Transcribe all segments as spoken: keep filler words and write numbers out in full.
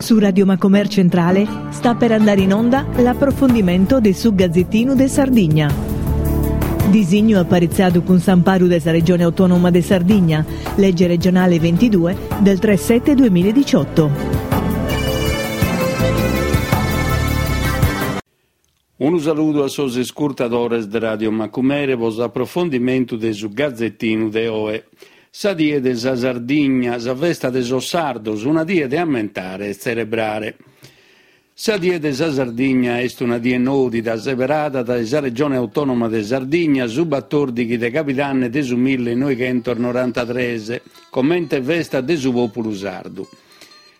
Su Radio Macomer Centrale sta per andare in onda l'approfondimento de su Gazzettinu de Sardigna. Disignu aparitzadu cun s'amparu de sa Regione Autonoma de Sardigna, legge regionale ventidue del tre sette duemiladiciotto. Unu saludu a sos iscurtadores de Radio Macumere pro s'aprofondimentu de su Gazzettinu de oe. Sa die de sa Sardigna, sa festa de sos sardos, una die de ammentare e tzelebrare. Sa die de sa Sardigna est una die nòdida, seberada dae sa Regione Autonoma de Sardigna su batòrdighi de Cabidanne de su millenoighentos norantatrès, comente festa de su pòpulu sardu.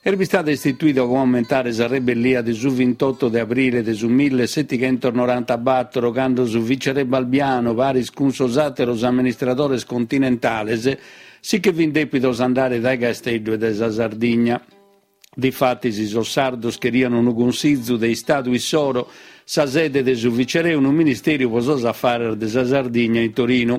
Est bistada istituida pro ammentare sa rebellia de su vintotto de abrile de su millesetighentos norantabator, cando su viceré Balbiano, paris cun sos àteros amministradores continentales, si che fin dèpidos andare dae Casteddu e dae sa Sardigna. Difatis sos sardos cherian unu Consizu de Istadu issoro, sa sede de su viceré e unu Ministèriu pro sos afares de sa Sardigna in Torinu.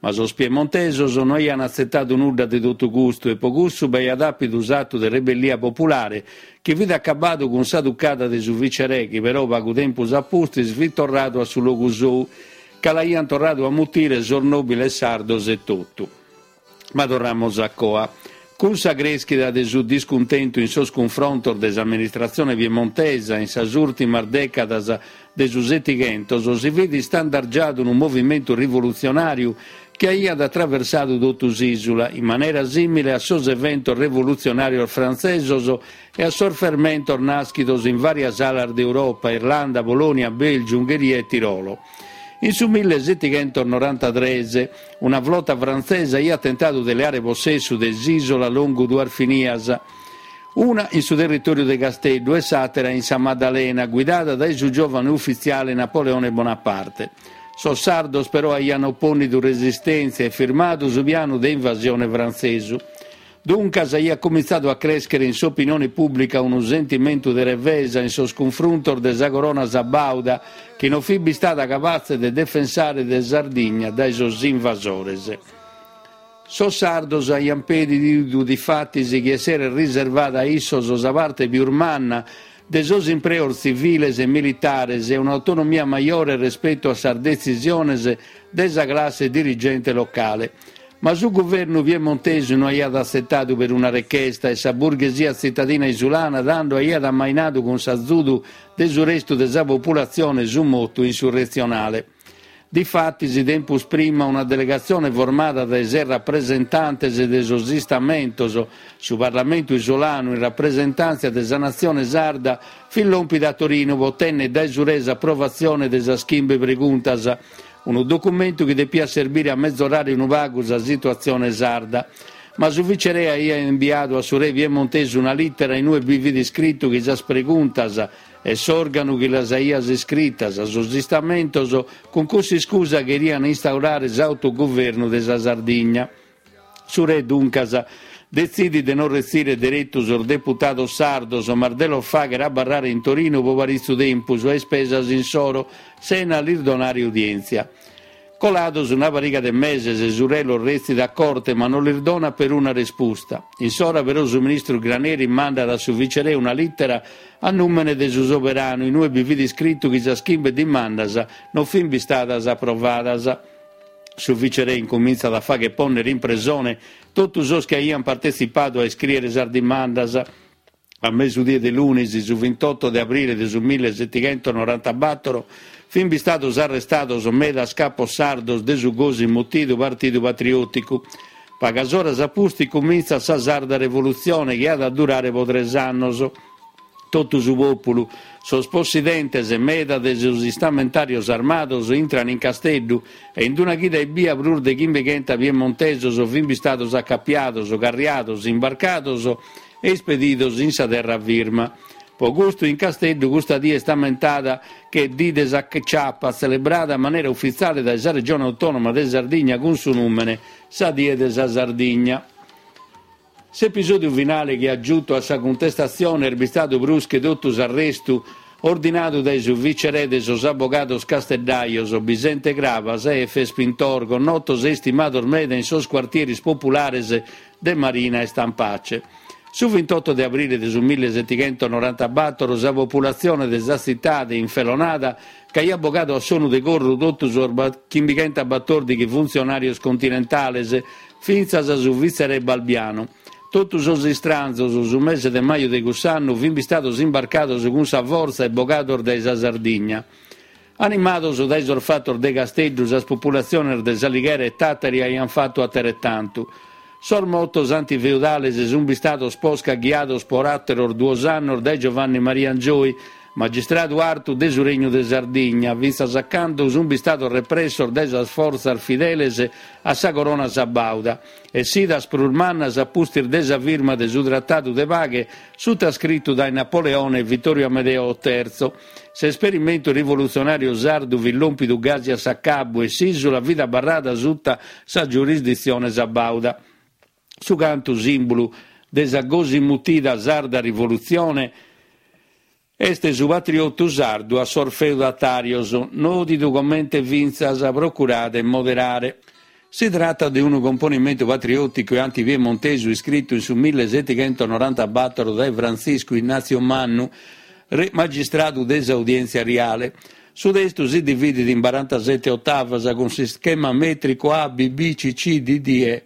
Ma sos piemontesos no aian atzetadu nudda de totu custu e pro cussu b'aiat àpidu s'atu de rebellia populare chi fit acabadu cun sa tucada de su viceré chi però pagu tempus a pustis fit torradu a su logu sou, ca l'aian torradu a mutire sos nòbiles sardos e totu. Ma torramus a coa. Cun sa crèschida de su discuntentu in sos cunfrontos de s'amministratzione piemontesa in sas ùrtimas dècadas de su Setighentos si fit istandargiadu unu movimentu rivolutzionàriu chi aiat atraversadu totu s'ìsula, in manera sìmile a sos eventos revolutzionàrios frantzesos e a sos fermentos nàschidos in vàrias alas de Europa, Irlanda, Polònia, Bèlgiu, Ungheria e Tirolo. In su millesetighentos norantatrès una flota frantzesa aiat tentadu de leare possessu de s'ìsula longu duas finias, una in su territòriu de Casteddu e s'àtera in sa Maddalena, guidada dae su giòvanu ufitziale Napoleone Bonaparte. Sos sardos però aian opònnidu resistèntzia e firmadu su pianu de invasione frantzesu. Duncas aiat comintzadu a crèschere in s'opinione pùblica unu sentimentu de revesa in sos cunfruntos de sa corona sabauda chi non fit bistada capatze de defensare de Sardigna dae sos invasores. Sos sardos aian pedidu difatis chi esseret riservada a issos sa parte pius manna de sos impreos tziviles e militares e un'autonomia majore respetu a sas detzisiones de sa classe dirigente locale. Ma su guvernu piemontesu no aiat atzetadu peruna rechesta e sa burghesia tzitadina isulana tando aiat ammainadu cun s'azudu de su restu de sa populatzione su motu insurretzionale. Difatis, tempus prima una delegatzione formada dae ses rapresentantes de sos Istamentos, su Parlamentu isolanu in rapresentàntzia de sa natzione sarda, fit lòmpida a Torinu pro otènnere dae su re s'aprovatzione de sas chimbe preguntas, unu documentu chi depiat serbire a mezorare unu pagu sa situatzione sarda. Ma su viceré aiat imbiadu a su re piemontesu una lìtera in ue bi fit iscritu chi sas preguntas e s'òrganu chi las aiat iscritas, sos Istamentos, cun cuss'iscusa cherian instaurare s'autoguvernu de sa Sardigna. Su re, duncas, detzidit de non retzire deretu sos deputados sardos, ma de los fàghere abarrare in Torinu pro paritzu tempus a ispesas insoro, sena lis donare udièntzia. Colados una pariga de meses, su re los retzit a corte, ma non lis donat peruna respusta. In s'ora però su ministru Graneri mandat a su viceré una lìtera a nùmene de su soberanu, in ue bi fit iscritu chi sas chimbe dimandas non fin bistadas aprovadas. Su viceré incumintzat a fàghere pònnere in presone totu sos chi aiant partetzipadu a iscrìere sas dimandas. A mesudie de lunis, su vintotto de abrile de su millesetighentos norantabator, fin bistados arrestados medas capos sardos de su gosi mutidu Partidu Patriòticu. Pagas oras a pustis cumintzat sa Sarda Revolutzione chi at a durare pro tres annos. Totu su pòpulu, sos possidentes e meda de sos istamentàrios armados intran in Casteddu e in una chida ebbia prus de chimbechenta piemontesos fin bistados acapiados, carriados, imbarcados e ispedidos in sa terra firma. Pro custu in Casteddu custa die est ammentada che Die de sa Ciapa, tzelebrada a manera ufitziale dae sa Regione Autonoma de Sardigna cun su nùmene Sa Die de sa Sardigna. S'episòdiu finale chi at giutu a sa cuntestatzione est bistadu prus che totu s'arrestu ordinadu dae su viceré de sos abogados casteddajos Bisente Crabas e Efes Pintor, connotos e istimados meda in sos cuartieris populares de Marina e Stampace. Su vintotto de abrile de su millesettighentonorantabattor sa populatzione de sa tzitade infelonada ch'aiat bogadu a sonu de corru totu sos chimbighentobatòrdighi funtzionàrios continentales, fintzas su vitzeré Balbiano. Totu sos istranzos, su mese de maju de cuss'annu, fin bistados imbarcados cun sa fortza e bogados dae sa Sardigna. Animados dae sos fatos de Casteddu, sas populatziones de S'Alighera e Tàtari aiant fatu ateretantu. Sos motos antifeudales sunt bistados posca ghiados por àteros duos annos dae Giovanni Maria Angioy, magistradu artu de su Regnu de Sardigna, fintzas a cando sunt bistados repressos dae sas fortzas fideles a sa Corona Sabauda, essidas prus mannas a pustis de sa firma de su Tratadu de paghe sutascritu dae Napoleone e Vittorio Amedeo Terzo. S'esperimentu rivolutzionàriu sardu fit lòmpidu gasi a s'acabu e s'ìsula fit abarrada suta sa giurisditzione sabauda. Su cantu sìmbulu de sa gosi mutida Sarda Rivolutzione est su patriotu sardu a sos feudatàrios, nòdidu comente fintzas Procurade 'e moderare. Si tratat de unu componimentu patriòticu e antipiemontesu iscritu in su millesettighentonorantabattor dae Frantziscu Innàtziu Mannu, magistradu de s'Audièntzia Riale. Su testu si dividit in barantasete otavas cun s'ischema mètricu A B B C C D D E.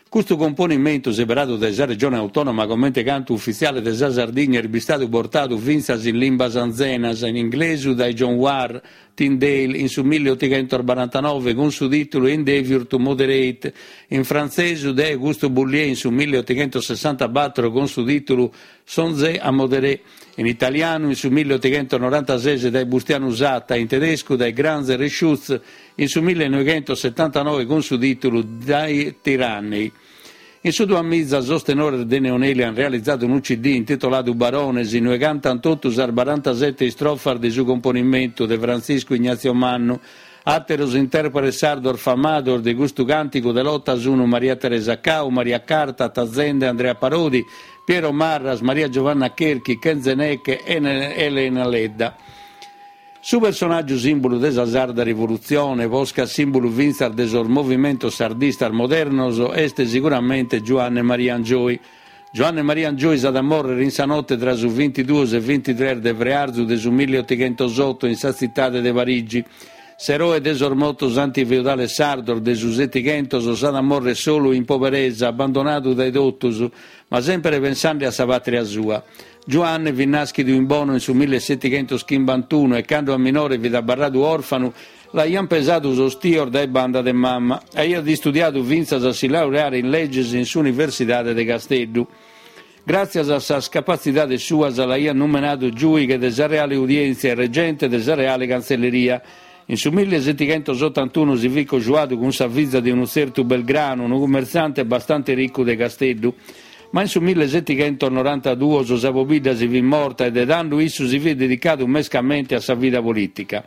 Custu componimentu, seberadu dae sa Regione Autònoma comente cantu ufitziale de sa Sardigna, est bistadu bortadu fintzas in limbas anzenas, in inglesu dae John Warr Tyndale in su milleotighentos barantanove cun su tìtulu Endeavour to Moderate, in frantzesu dae Auguste Boullier in su milleotighentosessantabattor cun su tìtulu Songez à modérer, in italianu in su milleotighentonorantases dae Bustianu Satta, in tedescu dae Granzer e Schutz in su millenoveghentosettantanove cun su tìtulu Die Tyrannie. In su duamiza sos tenores de Neoneli ant realizadu unu C D intitoladu Barones, inue cantant totu sas barantasete istrofas de su componimentu de Frantziscu Ignazio Mannu. Àteros intèrpretes sardos famados de custu càntigu de lota sunt Maria Teresa Cau, Maria Carta, Tazende, Andrea Parodi, Piero Marras, Maria Giovanna Cherchi, Kenze Neke e Elena Ledda. Su personàgiu sìmbulu de sa Sarda Rivolutzione, posca sìmbulu fintzas de sos movimentos sardistas modernos, est siguramente Giuanne Maria Angioy. Giuanne Maria Angioy s'at a mòrrere in sa note tra su bintiduos e bintitrès de frearzu de su milleotighentosoto in sa tzitade de Parigi. S'eroe de sos motos antifeudales sardos de su Setighentos s'at a mòrrere solu in poberesa, abbandonadu dae totus, ma semper pensende a sa pàtria sua. Giuanne fit nàschidu in Bono in su millesetighentoschimbantuno e cando a minore fit abarradu òrfanu, l'aiant pesadu sos tios dae banda de mama. Aiat istudiadu fintzas a si laureare in leges in s'Universidade de Casteddu. Gràtzias a sas capatzidades suas l'aiant numenadu giùighe de sa Reale Udièntzia e regente de sa Reale Cantzelleria. In su millesetighentosotantuno si fit cojuadu cun sa fiza de unu tzertu Belgrano, unu cummertziante bastante ricu de Casteddu. Ma in su millesetighentonorantaduos sa pobidda si fit morta e de tando issu si fit dedicadu mescamente a sa vida polìtica.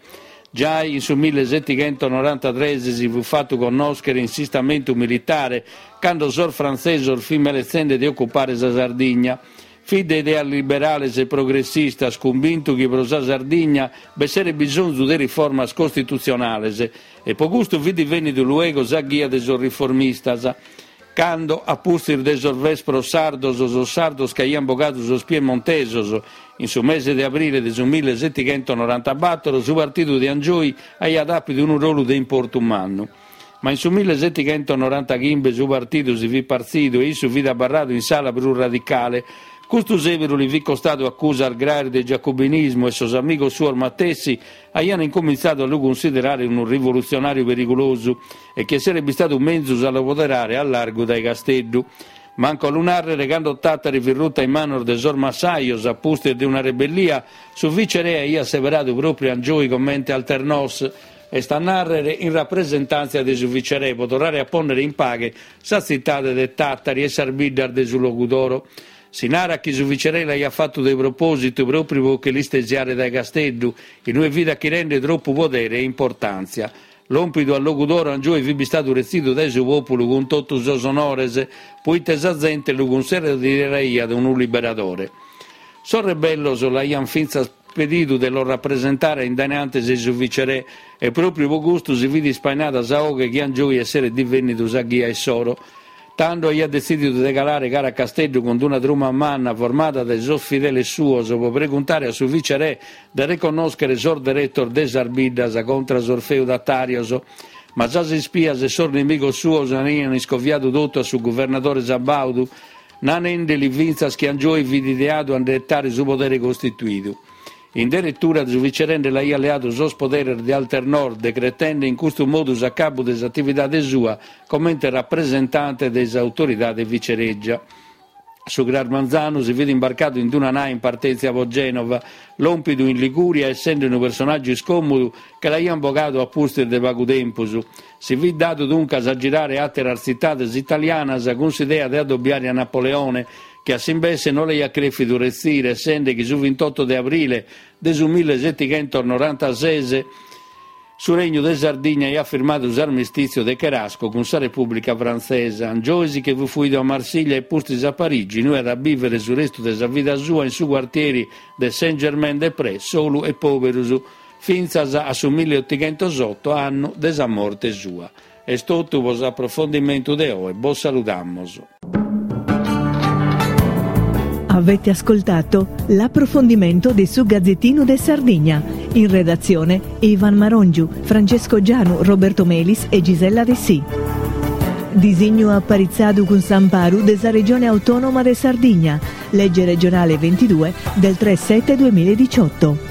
Giai in su millesetighentonorantatres si fit fatu connòschere in s'istamentu militare cando sos frantzesos fin meletzende de ocupare sa Sardigna. Fit de ideas liberales e progressistas, cumbintu chi pro sa Sardigna b'esseret bisonzu de riformas costitutzionales e pro custu fit divènnidu luego sa ghia de sos riformistas. Cando, a pustis de sos Vespros sardos, sos sardos ch'aiant bogadu sos piemontesos, in su mese de abrile de su millesetighentonorantabattor, su partidu de Angioy aiat àpidu unu rolu de importu mannu. Ma in su millesetighentonorantaghimbe su partidu si fit partzidu e issu fit abarradu in s'ala prus radicale. Custu sèberu li fit costadu acusas graes de giacobinismu e sos amigos suos matessi aiant incomintzadu a lu cunsiderare unu rivolutzionàriu perigulosu e chi esseret bistadu menzus a lu poderare a largu dae Casteddu. Mancu a lu nàrrere, cando Tàtari fit ruta in manos de sos massajos a pustis de una rebellia, su viceré aiat seberadu pròpriu Angioy comente alternos, est a nàrrere in rapresentàntzia de su viceré, pro torrare a pònnere in paghe sa tzitade de Tàtari e sas biddas de su Logudoro. Si narat chi su viceré l'aiat fatu de propòsitu pròpriu pro che l'istesiare dae Casteddu, in ue fit achirende tropu podere e importàntzia. Lòmpidu a Logudoro, Angioy fit bistadu retzidu dae su pòpulu cun totu sos onores, poite sa zente lu cunsideraiat unu liberadore. Sos rebellos l'aiant fintzas pedidu de los rapresentare in dae antes de su viceré e pròpriu pro custu si fit ispainada sa 'oghe chi Angioy esseret divènnidu sa ghia issoro. Tando aiat detzìdidu de calare cara a Casteddu cun una truma manna formada dae sos fideles suos pro preguntare a su vicerè de reconnòschere sos deretos de sas biddas contra sos feudatàrios. Ma sas ispias e sos nimigos suos aiant iscoviadu totu a su guvernadore Sabaudu, nanende·li fintzas chi Angioy fit ideadu a nde 'etare su podere costituidu. In deretura su vicerè nde l'aiat leadu sos poderes de Alternor, decretende in custu modu s'acabu de s'atividade sua comente rapresentante de s'autoridade vicerègia. Su cras manzanu si fit imbarcadu in una nae in partèntzia pro Gènova, lòmpidu in Ligùria essende unu personàgiu iscòmodu che l'aiant bogadu a pustis de pagu tempus. Si fit dadu duncas a girare àteras tzitades italianas cun s'idea de adobiare a Napoleone, chi a s'imbesse no l'aiat crèfidu retzire, essende chi su vintotto de abrile de su millesetighentos norantases su Regnu de Sardigna aiat firmadu s'armistìtziu de Cherasco cun sa Repùblica Frantzesa. Angioy si che fut fuidu a Marsiglia e pustis a Parigi, in ue at a bìvere su restu de sa vida sua in su cuartieri de Saint-Germain-des-Prés, solu e pòberu, fintzas a su milleotighentos oto, annu de sa morte sua. Est totu pro s'aprofondimentu de oe, bos saludamus. Avete ascoltato l'approfondimento di su Gazzettino de Sardigna. In redazione Ivan Marongiu, Francesco Gianu, Roberto Melis e Gisella Dessì. Disignu aparitzadu cun s'amparu de sa Regione Autonoma de Sardigna. Legge regionale ventidue del tre sette duemiladiciotto.